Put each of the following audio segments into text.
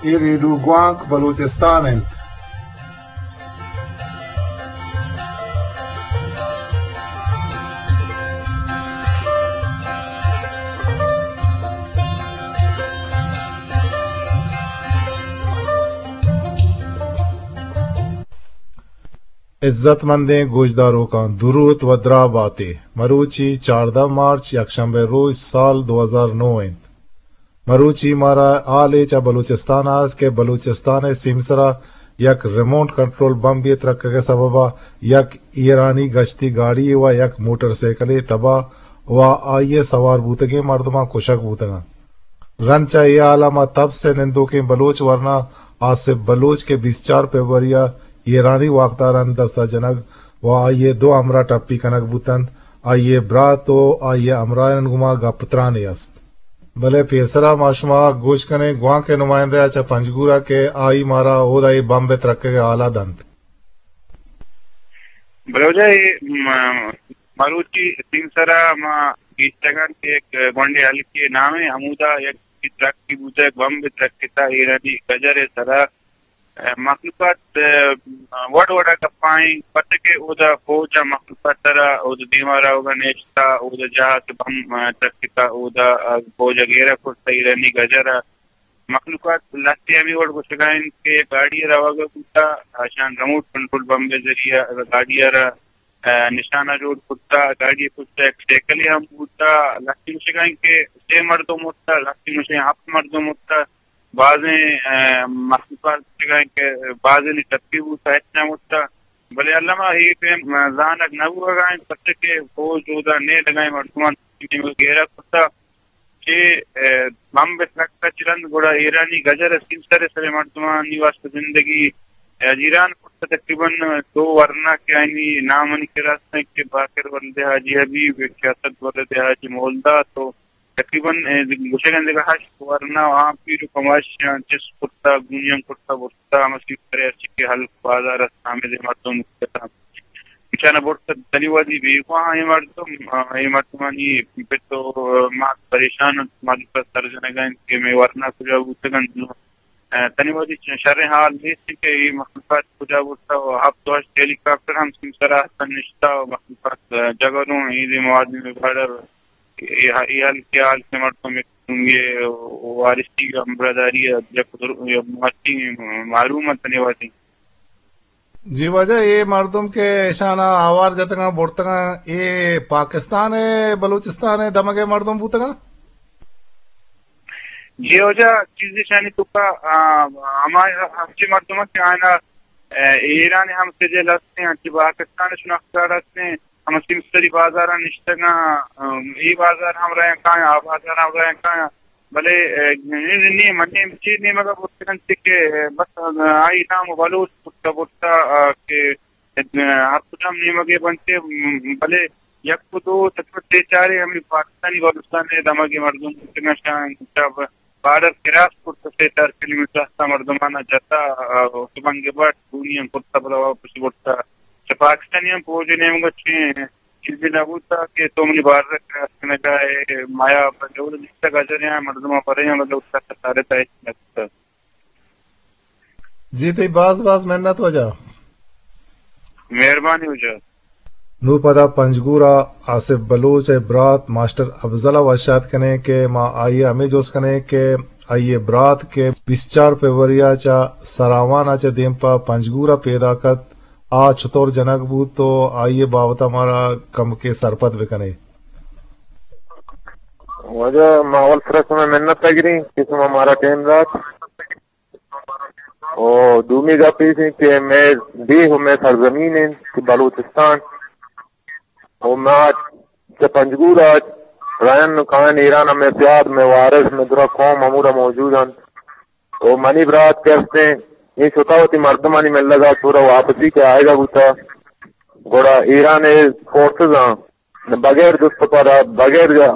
اے ریڈیو گوانک بلوچستان انت۔ عزت مندیں گوشداروکاں، دروت و دراہ باتے۔ مروچی چاردہ مارچ، یکشنبہ روچ، سال دو ہزار نو انت۔ مروچی مارا حالے چہ بلوچستان ءَ است کہ بلوچستان ءِ سیمسرا یک ریموٹ کنٹرول بمبے ترکگ ءِ سبب ءَ یک ایرانی گشتی گاڑی و یک موٹر سائیکلے تباہ و آئی ءِ سوار بوتگیں مردماں کشگ بوتگ انت۔ رند چہ اے حال ءَ ما تبس ءِ نندوکیں بلوچ ورنا آصف بلوچ کہ بیست چار فبروری ءَ ایرانی واکدارانی دست ءَ جنگ و آئی ءِ دو ہمراہ ٹپی کنگ بوت انت، آئی ءِ برات و آئی ءِ ہمراہانی گوما گپ ترانے است۔ بلے پیسرا ما شما گوش کنیں گوانک ءِ نمائندہ ءَ چہ پنجگور ءَ کہ آئی مارا اودا اے بمب ءِ ترکگ ءِ حال ءَ دنت۔ بلے واجہ، اے م-، مروچی سیمسرا ما گیشتگ انت کہ یک گونڈے ہلکے نامے ہمودا یک ترکی بوتگ، بمب ترکتا ایرانی گجر ءِ سرا۔ مخلوقات، ء، وڑ وڑ ء گپائیں، پرچہ کہ اودا فوج ء مخلوقات ء را اودا دیما روگ ء نیشتہ، اودا جاہ کہ بم، ء، ترکتہ، اودا، ء، فوج ء گھیرہ کرتہ، ایرانی گجر ء مخلوقات لہتے ہمے وڑ گوشگا انت کہ گاڑی ء روگ ء بوتہ، اشان ریموٹ کنٹرول بمب ء ذریعہ گاڑی ء را، ء، نشانہ جوڑ کرتہ، گاڑی ء پشت ء یک سائیکلے ہم بوتہ، لہتے گوشگا انت کہ سے مردم مرتہ، لہتے گوشگا انت ہپت مردم مرتہ۔ بازیں، ء، مخلوقات گوشگ ء کہ بازیں ٹپی بوت، ہچ نہ مرتہ۔ بلے الما اے پیم زانگ نہ بوہگا انت، پرچہ کہ فوج اودا نیلگا انت، مردمان گھیرا کرتہ۔ چہ، ء، بمب ترکتہ چہ رند گڑا ایرانی گجر ء سیمسر ء سر ء مردمانی واستہ زندگی اجیران کرتہ۔ تقریباً دو ورنا کہ آیانی نام منی کرا است انت کہ باقر ولد حاجی حبیب، کہ اسد ولد حاجی مولداد و تقریباً، ء، گوشگ انت دگہ ہشت ورنا آں پیر و کماشیاں چست کرتہ، گونیاں کرتہ، برتہ، ہمسی کرے ہرچی کہ ہلک بازار است، ہمے دے مردم بوتہ۔ ایشانا برتہ، تنی وہدی بیگواہ ایں مردم، ء، اے مردمانی پت و مات پریشان انت، مالوک سر جنگا انت کہ مئے ورنا کجا بوتگ انت۔ ء، تنی وہدی چ-، شریں حال نیست کہ اے مخلوقات کجا برتہ و ہپت و ہشت ہیلی کاپٹر ہم سیمسرا ہستن نشتہ و مخلوقات، ء، جگروں، اے دے مواد میں بارڈر اے ہ-، اے ہلک ء ہلک ء مردم یک سنگے وارثی ء برادری ء یک در-، یک ماتی معلوم ات تنی وہدی۔ جی واجہ، اے مردم کہ اشانا آوار جتگاں، برتگاں، اے پاکستان ء بلوچستان ء دمگ ء مردم بوتگاں؟ جی واجہ، چیزے شانی توکا، آ، ہما ہمچی مردم کہ آئینا، اے، ایران ہم سجل ہستیں، انچی پاکستان شناخت کارڈ ہستیں، ہم سیمسری بازاراں نشتگاں، ام، اے بازار ہم رہن کایاں، آ بازار ہم رہن کایاں، بلے، اے، نی، نی، من نیم، چی نیمگا برتگ انت کہ، اے، بس، آئی نام بلوچ برتا برتا، آ، کہ، اے، ہر کجام نیمگے بنتے، ام، بلے یک و دو، تقریباً سے چارے ہمیں پاکستانی بلوچستان ء دمگے مردم بوتگاں، شاں، شاں بارڈر کراس کرت، سے چار کلومیٹر ہستا مردمانا جتا، آ، سبنگ بٹ، گونی ہم کرتا، پدا واپس برتا۔ چہ پاکستانی ہم فوج ء نیمگا چین چیزے نہ بوتا کہ تو منی بارڈر کراس کنگا اے، مایا بجول دیستا گجریاں مردماں پریاں، بلے اتکا سارے تا ہچ نہ بوتا۔ جی، تئی باز باز منت واجہ۔ مہربانی واجہ۔ نوں پدا پنجگور ء آصف بلوچ ء برات ماسٹر افضل ء وش آتک کنیں کہ ما آئی ء ہمے جست کنیں کہ آئی ء برات کہ بیست چار فبروری ء چہ سراوان ء چہ دیم پہ پنجگور ء پیداک ات، آ چتور جنگ بوت و آئی ء بابت ء مارا کمکے سرپد بہ کنے۔ واجہ، ما اول سرا شمئے منت ء گریں کہ شما مارا ٹائم دات۔ و دومی گپ ایش انت کہ مئے ڈیھ و مئے سرزمین انت کہ بلوچستان، و ما چہ پنجگور ء رئین و کائین ایران ء مئے سیاد، مئے وارث، مئے درا قوم ہمودا موجود انت۔ و منی برات کہ استیں، اے شتا وتی مردمانی ملگا چورا واپسی کہ آئیگا بوتا، گڑا ایران ء فورسز آں بغیر جست و پدا، بغیر، آ،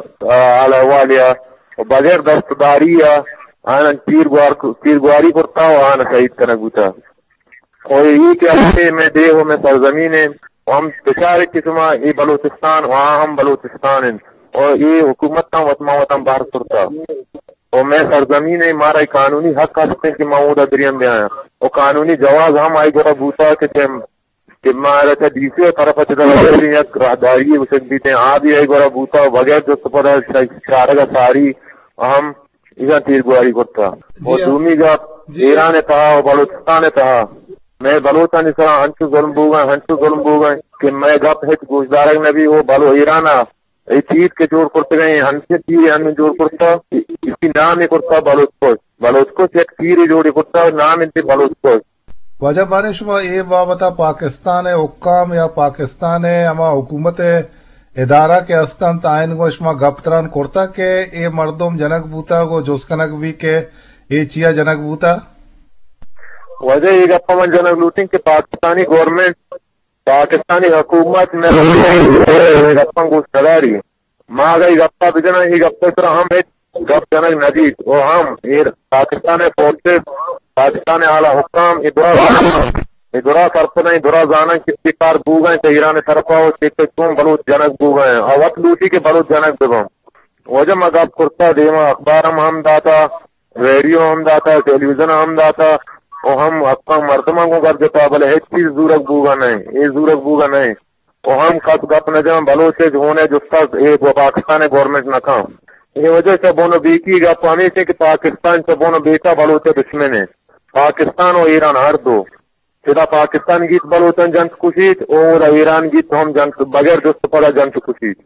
حال احوالیا و بغیر دستداریا آناں تیرگوار، تیرگواری کرتا و آناں شہید کنگ بوتا۔ و اے کہ ہمے مئے ڈیھ و مئے سرزمین انت و ہم بچارے کہ شما اے بلوچستان و آ ہم بلوچستان انت و اے حکومتاں وت ما وتاں بہر کرتا۔ و مئے سرزمین ء، مارا اے قانونی حق ہست انت کہ ما اودا بریم بیاں۔ و قانونی جواز ہم آئی گورا بوتا کہ چہ، کہ مارا چہ ڈی سی ء طرف ء چہ یک راہداری گوشگ بیت انت، آ بھی آئی گورا بوتا و بغیر جست پدا چارگ ء ساری ہم ایشاں تیرگواری کرتا۔ و جی ہاں۔ دومی گپ، جی۔ ایران ء تہا و بلوچستان ء تہا مئے بلوچانی سرا انچو ظلم بوگا، انچو ظلم بوگا کہ مئے گپ ہچ گوشدارگ نہ بی۔ و بلو ایران ء اے تیر کہ جوڑ کرتگ، اے انچیں تیرے انوں جوڑ کرتا، ایشی نام ء کرتا بلوچ کش۔ بلوچ کش یک تیرے جوڑے کرتا، نام انت بلوچ کش۔ واجہ باریں شما اے بابت ء پاکستان ء حکام یا پاکستان ء ہما حکومت ء ادارہ کہ ہست انت، آیان گوں شما گپ تران کرتا کہ اے مردم جنگ بوتا، گوں جست کنگ بی کہ اے چیا جنگ بوتا؟ واجہ اے گپ ء من جنگ لوٹیں کہ پاکستانی گورنمنٹ، پاکستانی حکومت مئے گپاں گوش نداری۔ ما اگاں اے گپا بجناں، اے گپ ء سرا ہم ہچ گپ جنگ نہ بیت۔ و ہم ایر پاکستان ء فورسز، پاکستان ء اعلی حکام اے درا زاناں، اے درا سرپداں، اے درا زاناں کہ چے کار بوگا انت ایران ء طرفا و چے کہ چون بلوچ جنگ بوگا انت۔ آ وت لوٹی کہ بلوچ جنگ بباں۔ واجہ ما گپ کرتا، دیما اخبار ہم، ہم داتا، ریڈیو ہم داتا، ٹیلی ویژن ہم داتا، و ہم حقاں مردماں گوں گپ جتا، بلے ہچ چیز زورگ بوگا نہ انت، اے زورگ بوگا نہ انت۔ و ہم کس گپ نہ جاں، بلوچ ء ہون ء جستا اے گو-، پاکستان ء گورنمنٹ نہ کن۔ اے وجہ چہ بون و بیکی گپ ہمیش انت کہ پاکستان چہ بون و بیکا بلوچ ء دشمن انت۔ پاکستان و ایران ہر دو۔ چدا پاکستان گیت بلوچاں جنت کشیت، و اودا ایران گیت ہم جنت، بغیر جست پدا جنت کشیت۔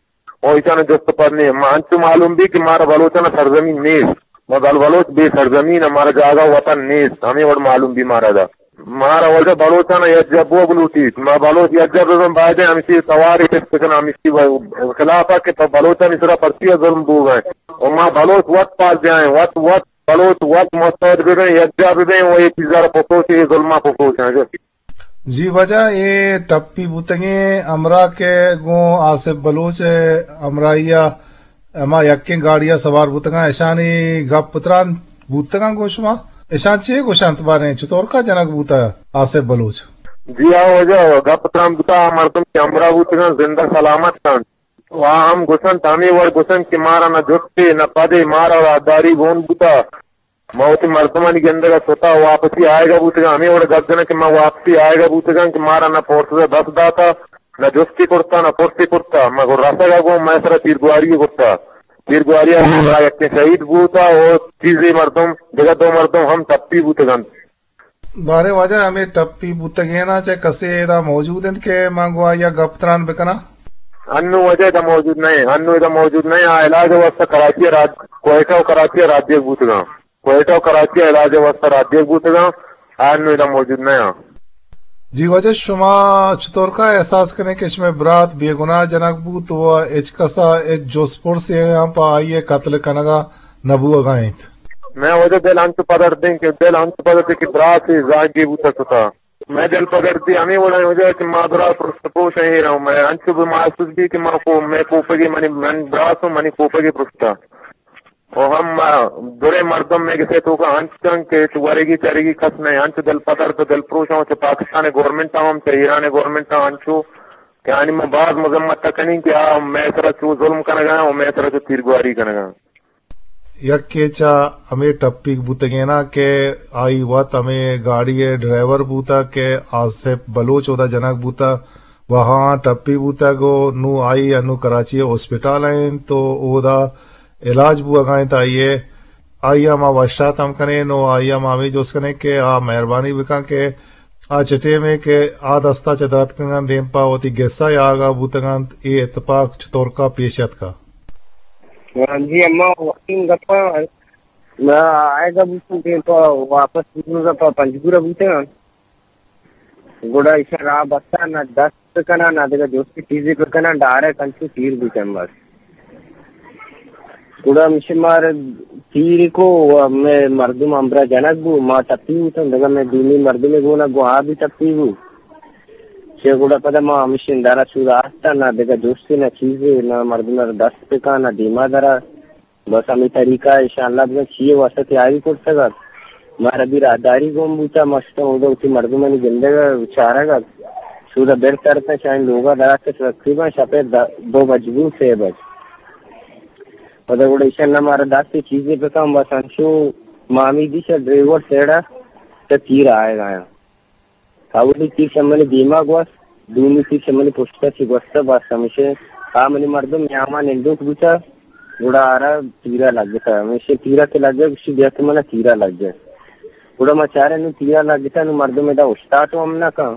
و ایشان جست پد نیست۔ ما انچو معلوم بی کہ مارا بلوچانا سرزمین نیست۔ ما بل بلوچ بے سرزمین، مارا جاگہ وطن نیست۔ ہمیں وڑ معلوم بی مارا دا۔ مارا واجہ بلوچانا یک جب بوگ لوٹیت۔ ما بلوچ یک جب ببن، باید ہمشی تواری چست کن، ہمشی خلاف کہ پہ بلوچانی سرا پرچی ظلم بوگ ہے۔ و ما بلوچ وت پاس جائیں، وت، وت بلوچ وت مستعد ببیں، یکجا ببیں و اے چیزا را پکوشیں، اے ظلما پکوشیں۔ جی واجہ، اے ٹپی بوتگیں ہمراہ کہ گوں آصف بلوچ ء ہمراہی ء ہما یکیں گاڑی ء سوار بوتگاں، اشانی گپ تران بوتگاں گوں شما؟ اشان چے گوشنت باریں؟ چطور کا جنگ بوتا آصف بلوچ؟ جی ہاں واجہ، گپ تران بوتا، آ مردم کہ ہمراہ بوتگاں زندہ سلامت انت۔ و آ ہم گوشنت، ہمے وڑ گوشنت کہ مارا نہ جستے نہ پدے، مارا راہداری گون بوتا۔ ما وتی مردمانی گندگ ء ستا واپسی آیگ ء بوتگاں، ہمے وڑ گپ جناں کہ ما واپسی آیگ ء بوتگاں کہ مارا نہ پورسز ء دست داتا، نہ جستی کرتا، نہ پرسی کرتا۔ ما گوں رسگ ء گوں مئے سرا تیرگواری کرتا۔ تیرگواری ء ما یکیں شہید بوتا و چیزے مردم، دگہ دو مردم ہم ٹپی بوتگنت۔ باریں واجہ، ہمے ٹپی بوتگیناں چہ کسے ادا موجود انت کہ من گوں آئی ء گپ تران بکناں؟ انوں واجہ ادا موجود نہ انت، انوں ادا موجود نہ انت۔ آ علاج ء واستہ کراچی ء راج-، کوئٹہ و کراچی ء راہ دیگ بوتگاں۔ کوئٹہ و کراچی ء علاج ء واستہ راہ دیگ بوتگاں۔ آ انوں ادا موجود نہ انت۔ جی واجہ، شما چطور کا احساس کنیں کہ شمئے برات بے گناہ جنگ بوت و ہچ کس ء ہچ جست پرسے ہم پہ آئی ء قتل کنگ ء نہ بوہگا انت؟ مئے واجہ دل انچو پدردیں کہ، دل انچو پدردیں کہ برات زاگی بوتا شتا۔ مئے دل پدردی ہمے وڑا واجہ کہ ما برات پرست پوش ایں، مئے انچو بہ محسوس بی کہ ما کو، مئے کوپگی منی، من برات و منی کوپگی پرشتا۔ و ہم ما درے مردم مئے گسے توکا انچ انت کہ چو ورگی چرگی کس نہ انت، انچو دل پدرد و دل پروش انت، چہ پاکستان گورنمنٹ ہم، چہ ایران گورنمنٹ ہم انچو کہ آنی ما باز مذمت کنیں کہ آ مئے سرا چو ظلم کنگا و مئے سرا چو تیرگواری کنگا۔ یکے چہ ہمے ٹپیگ بوتگیناں کہ آئی وت ہمے گاڑی ء ڈرائیور بوتگ کہ آصف بلوچ اودا جنگ بوتگ و ہاں ٹپی بوتگ و نوں آئی انوں کراچی ء ہسپتال ء انت و اودا علاج بوہگا انت آئی ء۔ آئی ء ما وشات ہم کنیں و آئی ء ما ہمے جست کنیں کہ آ مہربانی بکن کہ آ چہ ٹیمے کہ آ دستا چہ دراتکگاں دیم پہ وتی گسا ء آگاہ بوتگنت، اے اتپاک چتورکا پیش اتکا؟ جی اما، وقتی گپا ما آئیگا بوتوں دیم پہ واپس بوتوں پہ پنجگورا بوتگاں۔ گڑا ایشاں راہ بستہ نہ دست بکناں، نہ دگہ جستی چیزے بکناں، ڈائریکٹ انچو تیر بوتیں بس۔ گڑا ہمیشی مار تیر کو و مئے مردم ہمبرا جنگ بو، ما ٹپی بوتن، دگہ مئے دومی مردمے گونا گو آ بھی ٹپی بو۔ چہ گڑا پدا ما ہمیشی اندارا سودا آستن، نہ دگہ جستی نہ چیزے، نہ مردم را دست بکا، نہ دیما درا۔ بس ہمے طریقہ ء انشاءاللہ بزاں چی ء واستہ تیاری کرتگ ات۔ مارا بھی راہداری گون بوتا، ما شتاں اودا وتی مردمانی گندگ ء چارگ ات۔ سودا بر ترتاں شاہین لوگا دراتک تقریباً شپ ء دہ، دو بج بو، سے بج۔ پدا گڑا ایشان نہ مارا دست چیزے بکن، بس انچو مامی دی چہ ڈرائیور سیڑا چہ تیر آئے گایا۔ اولی تیر چہ منی دیما گوست، دومی تیر چہ منی پشتا چی گوستا، بس ہمیشہ آ منی مردم نیاما نندوک بوتا، گڑا آرا تیرا لگتا۔ ہمیشہ تیرا کہ لگے، گوشی بیا تو منا تیرا لگے۔ گڑا ما چارے نو تیرا لگتا، نو مردم ادا اشتات ہم نہ کن۔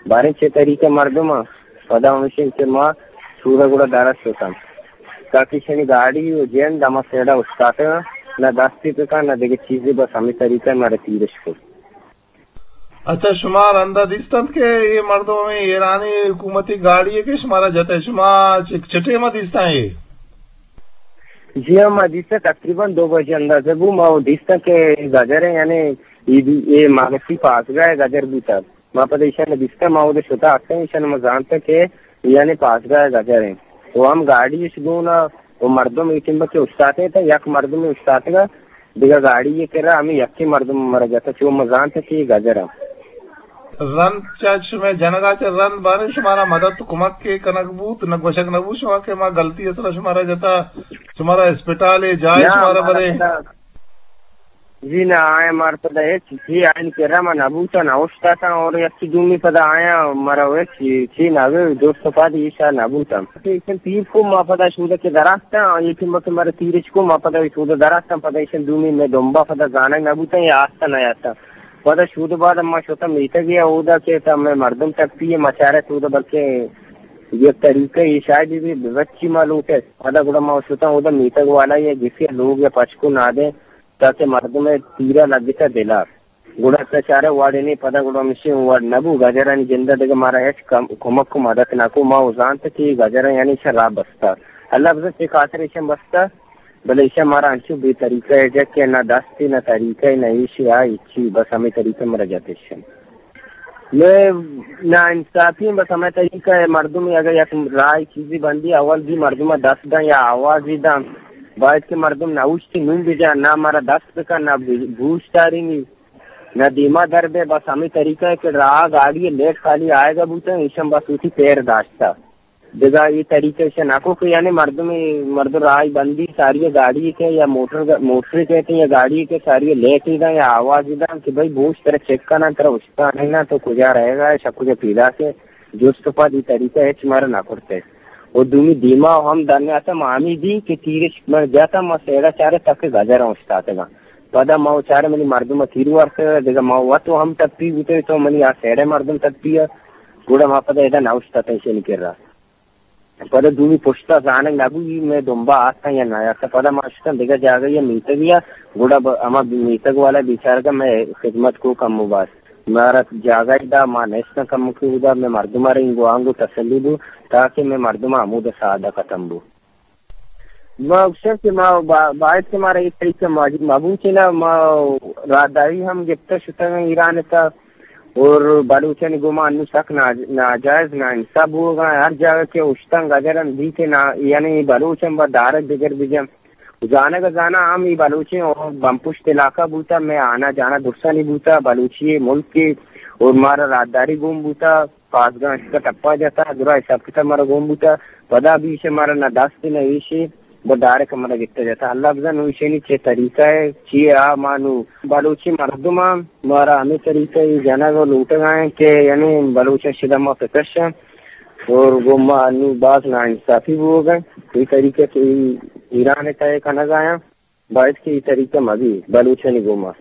باریں چے طریقہ مردم آ، پدا ہمیشہ کہ ما سورا گڑا درست کن۔ تاکہ شنی گاڑی و جند ہما سیڑا اشتات، نہ دستی بکن، نہ دیگه چیزی، بس ہمیں طریقہ مارا تیرش کن۔ اچھا، شما رندا دیستنت کہ اے مردم ہمیں ایرانی حکومتی گاڑی ہے کہ شمارا جتے، شما چ-، چٹے ما دیستن اے؟ جی ہاں، ما دیستن تقریباً دو بجے اندازہ بو، ما وہ دیستن کہ گجر ہے، یعنی اے بھی، اے مانسی پاسگاہ ہے، گجر بوتا۔ ما پدا ایشان دیستن، ما وہ شتا آتکن، ایشان ما زانتا کہ یعنی پاسگاہ گجر ہیں۔ وہ ہم گاڑی اش گونا، وہ مردم ایٹم بکے استاتے تا، یک مردم استاتگا، دگہ گاڑی یہ کرا، ہمیں یکی مردم مرا جاتا، چو مزان تا کہ گجر ہم۔ رند چہ شمئے جنگا چہ رند باریں شمارا مدد و کمک کے کنگ بوت، نہ گوشگ نہ بوت شما کہ ما غلطی اصلا شمارا جتا، شمارا اسپتال جائے نہ، شمارا مارا بدے؟ پدا، جی نہ، آئے مار پدا ہچ چی آئین کرا ما نہ بوتا، نہ اوشتاتا، اور یک دومی پدا آیا مارا ہچ چی نہ گئے، دوست پاد ایشا نہ بوتا۔ ایشن تیر کو ما پدا شودہ کے دراستاں، یہ کہ مکہ مارا تیرش کو ما پدا شودہ دراستاں، پدا ایشن دومی میں دمبا پدا زانگ نہ بوتا، یا آستا نہ آستا۔ پدا شودہ بعد ما شوتا میتگ یا اودا کہ تا میں مردم تک پیے مچارے تو دا بلکہ یہ طریقہ یہ شاید بھی بچی ما لوٹے۔ پدا گڑا ما شوتا اودا میتگ والا یا گسی لوگ یا پچکو نہ دے، تاکہ مردم تیرا لگتا دلا۔ گڑا تا چارے واڑے نے پدا گڑا مشی وڑ نبو، گجرانی جندہ دگہ مارا ہچ کم-، کمک و مدد نہ کو۔ ما و زانت کہ گجر یعنی شراب بستا۔ اللہ بزن چے خاطر ایشن بستا، بلے ایشن مارا انچو بے طریقہ ہے جا کہ نہ دستی نہ طریقہ نہ ایشی آ ایچی، بس ہمیں طریقہ مرا جات ایشن۔ میں نا انصافی ہیں، بس ہمیں طریقہ ہے، مردم اگر یک رائے چیزی بندی اول بھی مردم دست دن یا آوازی دن، باید کہ مردم نہ اوشتی نون بجا، نہ مارا دست بکن، نہ بوش دارینی، نہ دیما در بے، بس ہمیں طریقہ ہے کہ راہ گاڑی لیٹ خالی آئے گا بوتا، ایشن بس اسی پیر داشتا۔ دگہ یہ طریقہ ایشن نکو کہ یعنی مردم، مردم راہ بندی ساری گاڑی کے یا موٹر، موٹر کہتے ہیں یا گاڑی کے ساری لیٹ ہی دا یا آواز ہی دا کہ بھائی بوش ترا چیک کرنا، ترا اشکا نہیں نا تو کجا رہے گا، شک کجا پیدا کے جست پد یہ طریقہ ہے ہمارا نہ کرتے۔ و دومی دیما ہم دنیا تا مامی دی کہ تیرش من جاتا ما سیڑا چارے تک گجر اوشتاتگا۔ پدا ما و چارے منی مردم تیر ورت، دگہ ما وت و ہم ٹپی بوتے تو منی آ سیڑے مردم ٹپی۔ گڑا ما پدا ادا نہ اوشتاتن شنی کرا۔ پدا دومی پشتا زانگ نبوی میں دمبا آتن یا نہ آتن۔ پدا ما شتن دگہ جاگہ یا میتگ یا گڑا ب-، ہما میتگ والا بیچارگا میں خدمت کو کم و باز۔ مارا جاگہ دا ما نیستن کم کی دا میں مردم آرے انگو آنگو تسلی دو تاکہ میں مردم آمود سادہ ختم بو۔ ما گوشاں کہ ما با-، باید کہ مارا اے طریقہ ماجد مبوت نا، ما راہداری ہم گپتہ شتگاں ایران تا اور بلوچانی گوما انو سک نا-، ناجائز ناانصاف بوگا۔ ہر جاگہ کہ اشتن گجرن دی کہ نا، یعنی بلوچن با دارگ دگر بجن۔ زانگ زانا ہم ای بلوچیں اور بمپشت علاقہ بوتا، میں آنا جانا درسانی بوتا، بلوچی ملک اور مارا راہداری گون بوتا۔ پاسگاں اشکا ٹپا جتا، درا حساب کتاب مارا گون بوتا، پدا بھی ایشے مارا نہ دست نہ ایشے، بس ڈائریکٹ مارا گپتا جتا۔ اللہ بزن نو ایشانی چے طریقہ ہے، چی آ ما نو بلوچی مردم ہم مارا ہمیں طریقہ ہی جنگ و لوٹگ آئیں کہ یعنی بلوچ شدہ ما پکش ہیں اور گو ما نو باز نا انصافی بوگ ہیں۔ یہ طریقہ کہ ایران تہ کنگ آیا، باید کہ یہ طریقہ مبی بلوچانی گوما۔